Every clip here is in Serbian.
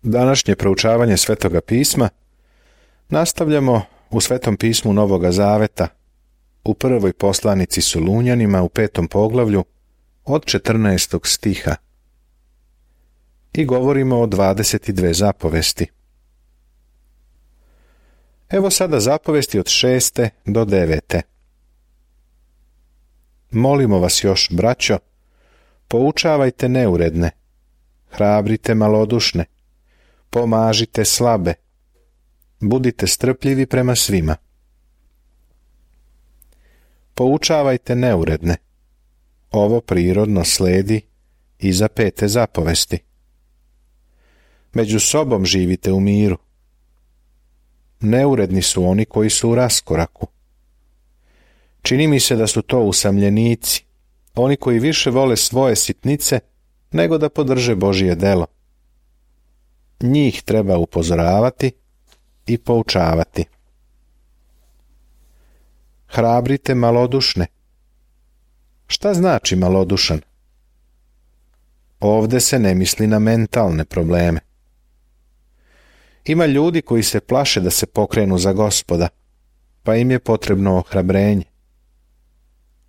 Današnje proučavanje Svetoga pisma nastavljamo u Svetom pismu Novoga Zaveta, u prvoj poslanici Solunjanima u 5. poglavlju od 14. stiha i govorimo o 22 zapovesti. Evo sada zapovesti od 6. do 9. Molimo vas još, braćo, poučavajte neuredne, hrabrite malodušne, pomažite slabe, budite strpljivi prema svima. Poučavajte neuredne. Ovo prirodno sledi iza 5. zapovesti. Među sobom živite u miru. Neuredni su oni koji su u raskoraku. Čini mi se da su to usamljenici, oni koji više vole svoje sitnice nego da podrže Božje delo. Njih treba upozoravati i poučavati. Hrabrite malodušne. Šta znači malodušan? Ovde se ne misli na mentalne probleme. Ima ljudi koji se plaše da se pokrenu za Gospoda, pa im je potrebno ohrabrenje.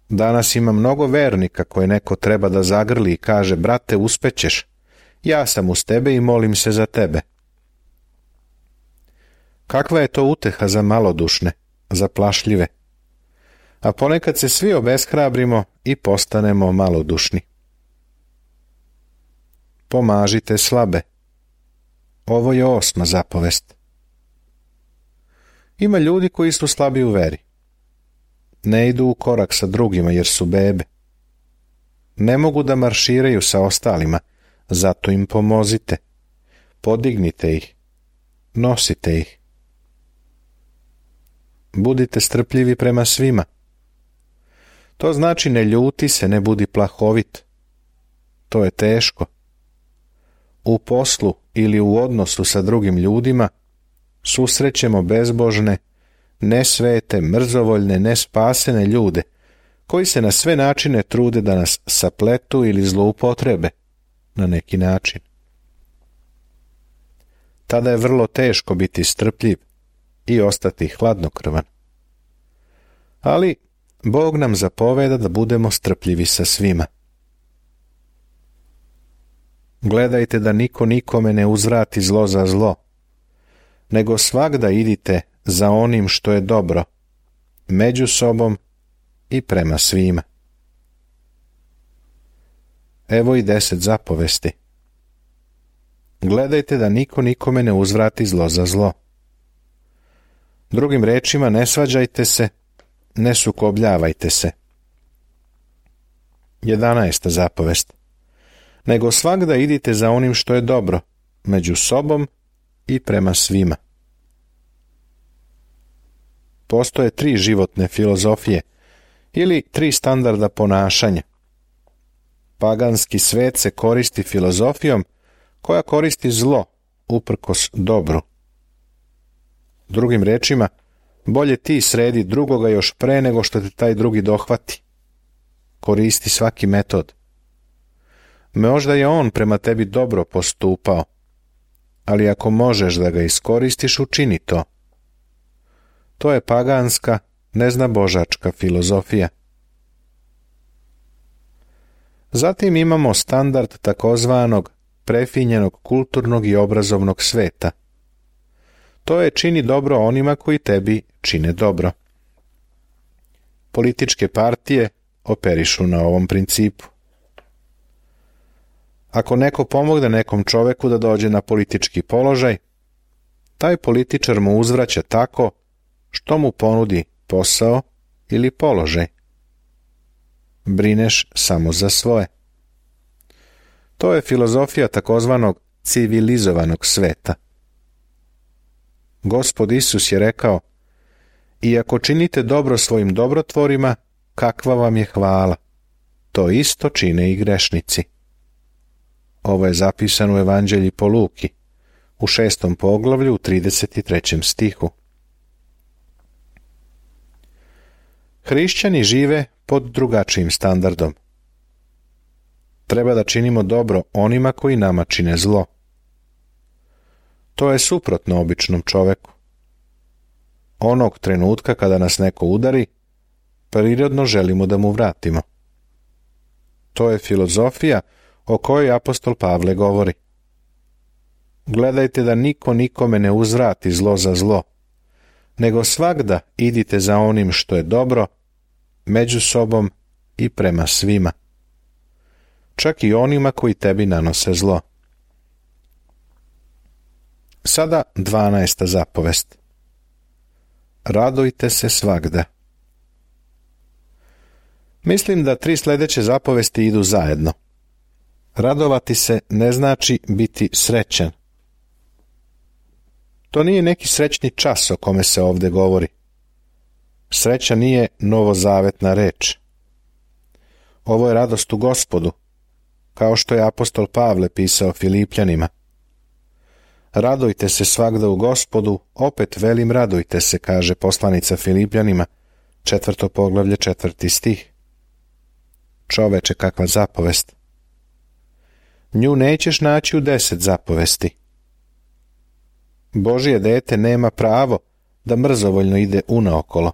Danas ima mnogo vernika koje neko treba da zagrli i kaže: brate, uspećeš, ja sam uz tebe i molim se za tebe. Kakva je to uteha za malodušne, za plašljive? A ponekad se svi obeshrabrimo i postanemo malodušni. Pomažite slabe. Ovo je 8. zapovest. Ima ljudi koji su slabi u veri. Ne idu u korak sa drugima jer su bebe. Ne mogu da marširaju sa ostalima, zato im pomozite. Podignite ih. Nosite ih. Budite strpljivi prema svima. To znači ne ljuti se, ne budi plahovit. To je teško. U poslu ili u odnosu sa drugim ljudima susrećemo bezbožne, nesvete, mrzovoljne, nespasene ljude koji se na sve načine trude da nas sapletu ili zloupotrebe na neki način. Tada je vrlo teško biti strpljiv i ostati hladnokrvan. Ali Bog nam zapoveda da budemo strpljivi sa svima. Gledajte da niko nikome ne uzvrati zlo za zlo, nego svagda idite za onim što je dobro, među sobom i prema svima. Evo i 10 zapovesti. Gledajte da niko nikome ne uzvrati zlo za zlo. Drugim rečima, ne svađajte se, ne sukobljavajte se. 11. zapovest. Nego svagda idite za onim što je dobro, među sobom i prema svima. Postoje 3 životne filozofije ili 3 standarda ponašanja. Paganski svet se koristi filozofijom koja koristi zlo uprkos dobru. Drugim rečima, bolje ti sredi drugoga još pre nego što te taj drugi dohvati. Koristi svaki metod. Možda je on prema tebi dobro postupao, ali ako možeš da ga iskoristiš, učini to. To je paganska, neznabožačka filozofija. Zatim imamo standard takozvanog prefinjenog kulturnog i obrazovnog sveta. To je čini dobro onima koji tebi čine dobro. Političke partije operišu na ovom principu. Ako neko pomogne nekom čoveku da dođe na politički položaj, taj političar mu uzvraća tako što mu ponudi posao ili položaj. Brineš samo za svoje. To je filozofija takozvanog civilizovanog sveta. Gospod Isus je rekao: i ako činite dobro svojim dobrotvorima, kakva vam je hvala? To isto čine i grešnici. Ovo je zapisano u Evanđelji po Luki, u 6. poglavlju, u 33. stihu. Hrišćani žive pod drugačijim standardom. Treba da činimo dobro onima koji nama čine zlo. To je suprotno običnom čoveku. Onog trenutka kada nas neko udari, prirodno želimo da mu vratimo. To je filozofija o kojoj apostol Pavle govori. Gledajte da niko nikome ne uzvrati zlo za zlo, nego svagda idite za onim što je dobro, među sobom i prema svima. Čak i onima koji tebi nanose zlo. Sada 12. zapovest. Radujte se svagda. Mislim da 3 sljedeće zapovesti idu zajedno. Radovati se ne znači biti srećan. To nije neki srećni čas o kome se ovdje govori. Sreća nije novozavetna reč. Ovo je radost u Gospodu, kao što je apostol Pavle pisao Filipljanima. Radujte se svagda u Gospodu, opet velim radujte se, kaže poslanica Filipljanima, 4. poglavlje 4. stih. Čoveče, kakva zapovest. Nju nećeš naći u 10 zapovesti. Božje dete nema pravo da mrzovoljno ide unaokolo.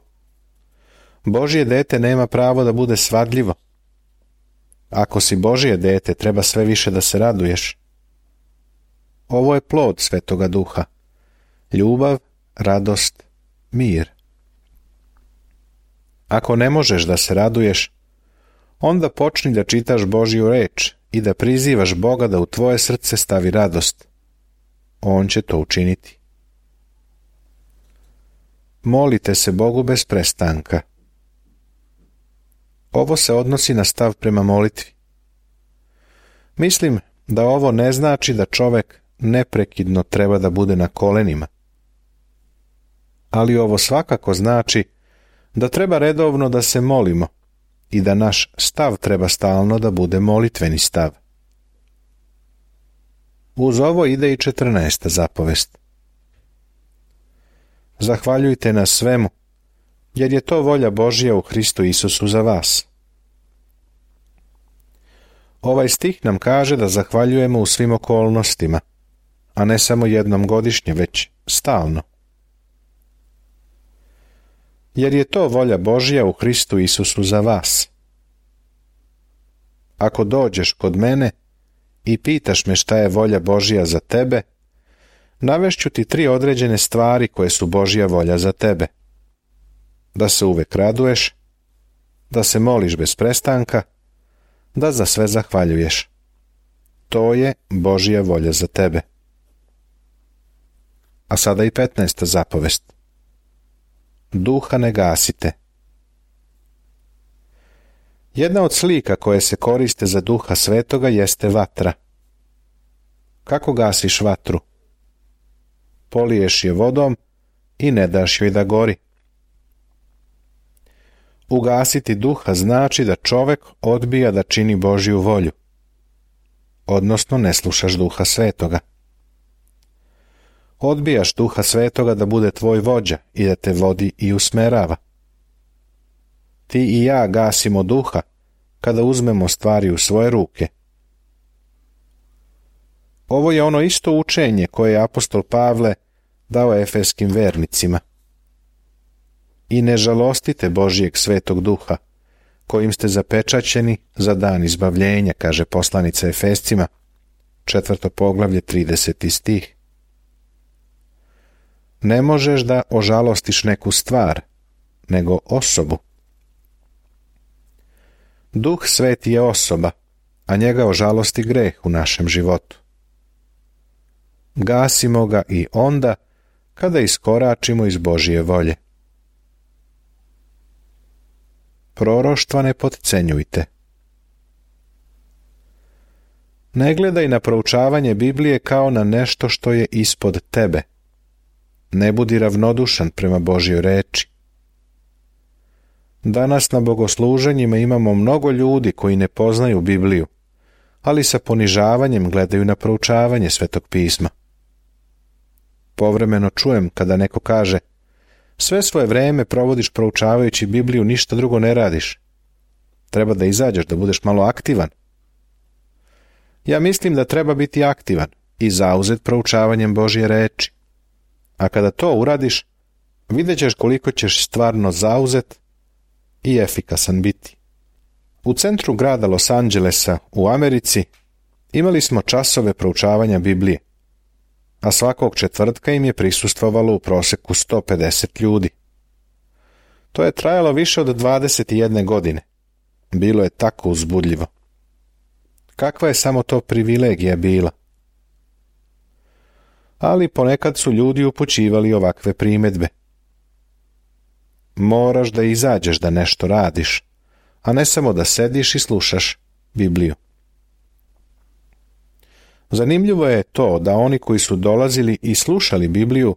Božje dete nema pravo da bude svadljivo. Ako si Božje dete, treba sve više da se raduješ. Ovo je plod Svetoga Duha. Ljubav, radost, mir. Ako ne možeš da se raduješ, onda počni da čitaš Božju reč i da prizivaš Boga da u tvoje srce stavi radost. On će to učiniti. Molite se Bogu bez prestanka. Ovo se odnosi na stav prema molitvi. Mislim da ovo ne znači da čovek neprekidno treba da bude na kolenima. Ali ovo svakako znači da treba redovno da se molimo i da naš stav treba stalno da bude molitveni stav. Uz ovo ide i 14. zapovest. Zahvaljujte na svemu, jer je to volja Božja u Hristu Isusu za vas. Ovaj stih nam kaže da zahvaljujemo u svim okolnostima, a ne samo jednom godišnje, već stalno. Jer je to volja Božja u Hristu Isusu za vas. Ako dođeš kod mene i pitaš me šta je volja Božja za tebe, navešću ti 3 određene stvari koje su Božja volja za tebe. Da se uvek raduješ, da se moliš bez prestanka, da za sve zahvaljuješ. To je Božja volja za tebe. A sada i 15. zapovest. Duha ne gasite. Jedna od slika koje se koriste za Duha Svetoga jeste vatra. Kako gasiš vatru? Poliješ je vodom i ne daš joj da gori. Ugasiti duha znači da čovek odbija da čini Božju volju, odnosno ne slušaš Duha Svetoga. Odbijaš Duha Svetoga da bude tvoj vođa i da te vodi i usmerava. Ti i ja gasimo duha kada uzmemo stvari u svoje ruke. Ovo je ono isto učenje koje je apostol Pavle dao efeskim vernicima. I ne žalostite Božijeg Svetog Duha, kojim ste zapečaćeni za dan izbavljenja, kaže poslanica Efescima, 4. poglavlje 30. stih. Ne možeš da ožalostiš neku stvar, nego osobu. Duh Sveti je osoba, a njega ožalosti greh u našem životu. Gasimo ga i onda kada iskoračimo iz Božje volje. Proroštva ne potcenjujte. Ne gledaj na proučavanje Biblije kao na nešto što je ispod tebe. Ne budi ravnodušan prema Božjoj reči. Danas na bogosluženjima imamo mnogo ljudi koji ne poznaju Bibliju, ali sa ponižavanjem gledaju na proučavanje Svetog pisma. Povremeno čujem kada neko kaže: sve svoje vreme provodiš proučavajući Bibliju, ništa drugo ne radiš. Treba da izađeš, da budeš malo aktivan. Ja mislim da treba biti aktivan, i zauzet proučavanjem Božje reči. A kada to uradiš, vidjet ćeš koliko ćeš stvarno zauzet i efikasan biti. U centru grada Los Angelesa u Americi imali smo časove proučavanja Biblije, a svakog četvrtka im je prisustvovalo u proseku 150 ljudi. To je trajalo više od 21 godine. Bilo je tako uzbudljivo. Kakva je samo to privilegija bila? Ali ponekad su ljudi upućivali ovakve primjedbe. Moraš da izađeš da nešto radiš, a ne samo da sediš i slušaš Bibliju. Zanimljivo je to da oni koji su dolazili i slušali Bibliju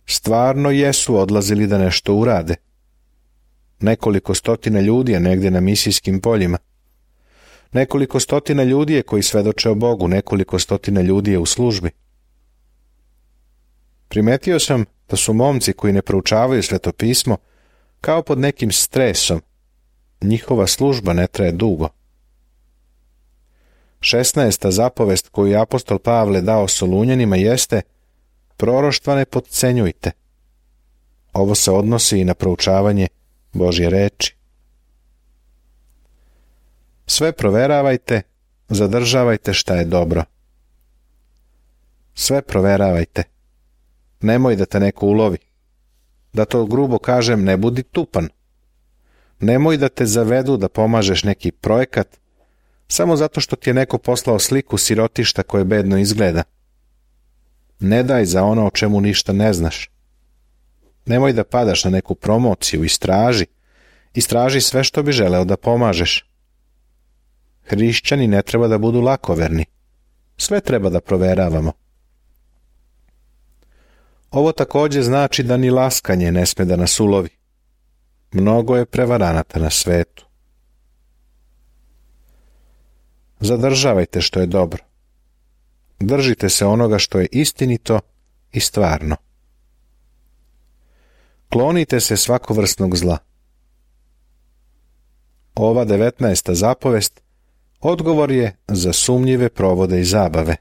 stvarno jesu odlazili da nešto urade. Nekoliko stotina ljudi je negdje na misijskim poljima. Nekoliko stotina ljudi je koji svedoče o Bogu, nekoliko stotina ljudi je u službi. Primetio sam da su momci koji ne proučavaju svetopismo kao pod nekim stresom. Njihova služba ne traje dugo. 16. zapovest koju je apostol Pavle dao Solunjanima jeste: proroštva ne potcenjujte. Ovo se odnosi i na proučavanje Božje reči. Sve proveravajte, zadržavajte šta je dobro. Sve proveravajte. Nemoj da te neko ulovi. Da to grubo kažem, ne budi tupan. Nemoj da te zavedu da pomažeš neki projekat samo zato što ti je neko poslao sliku sirotišta koje bedno izgleda. Ne daj za ono o čemu ništa ne znaš. Nemoj da padaš na neku promociju, istraži sve što bi želeo da pomažeš. Hrišćani ne treba da budu lakoverni. Sve treba da proveravamo. Ovo također znači da ni laskanje ne sme da nas ulovi. Mnogo je prevaranata na svetu. Zadržavajte što je dobro. Držite se onoga što je istinito i stvarno. Klonite se svakovrsnog zla. Ova 19. zapovest odgovor je za sumnjive provode i zabave.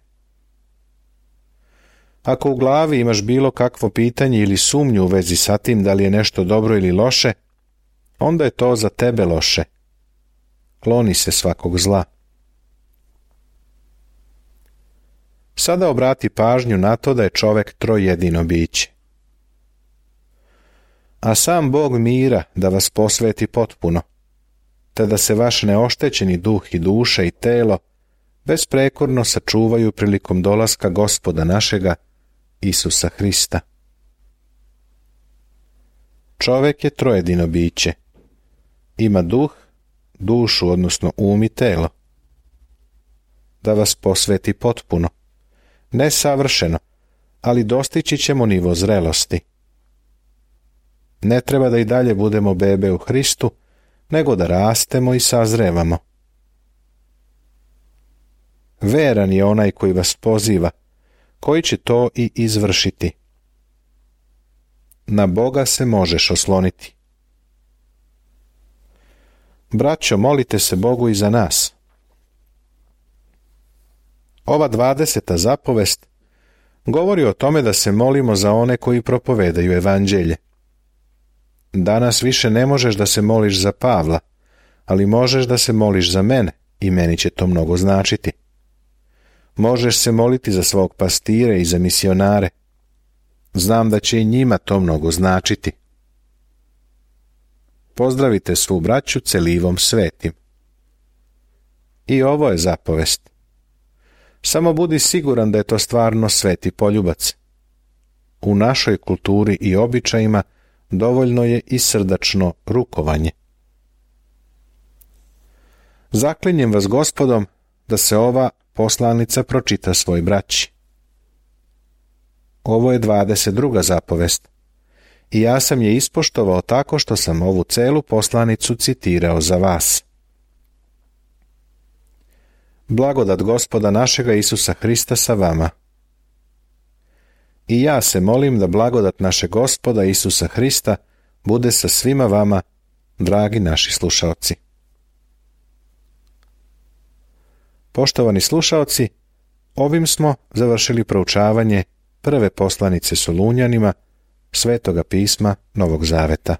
Ako u glavi imaš bilo kakvo pitanje ili sumnju u vezi sa tim da li je nešto dobro ili loše, onda je to za tebe loše. Kloni se svakog zla. Sada obrati pažnju na to da je čovek trojedino biće. A sam Bog mira da vas posveti potpuno, te da se vaš neoštećeni duh i duša i telo besprekorno sačuvaju prilikom dolaska Gospoda našega Isusa Hrista. Čovek je trojedino biće. Ima duh, dušu, odnosno um i telo. Da vas posveti potpuno. Ne savršeno, ali dostići ćemo nivo zrelosti. Ne treba da i dalje budemo bebe u Hristu, nego da rastemo i sazrevamo. Veran je onaj koji vas poziva, koji će to i izvršiti. Na Boga se možeš osloniti. Braćo, molite se Bogu i za nas. Ova 20. zapovest govori o tome da se molimo za one koji propovedaju evanđelje. Danas više ne možeš da se moliš za Pavla, ali možeš da se moliš za mene i meni će to mnogo značiti. Možeš se moliti za svog pastira i za misionare. Znam da će i njima to mnogo značiti. Pozdravite svu braću celivom svetim. I ovo je zapovest. Samo budi siguran da je to stvarno sveti poljubac. U našoj kulturi i običajima dovoljno je i srdačno rukovanje. Zaklinjem vas Gospodom da se ova poslanica pročita svoj braći. Ovo je 22. zapovest i ja sam je ispoštovao tako što sam ovu celu poslanicu citirao za vas. Blagodat Gospoda našega Isusa Hrista sa vama. I ja se molim da blagodat našeg Gospoda Isusa Hrista bude sa svima vama, dragi naši slušaoci. Poštovani slušaoci, Ovim smo završili proučavanje prve poslanice Solunjanima, Svetoga pisma Novog Zaveta.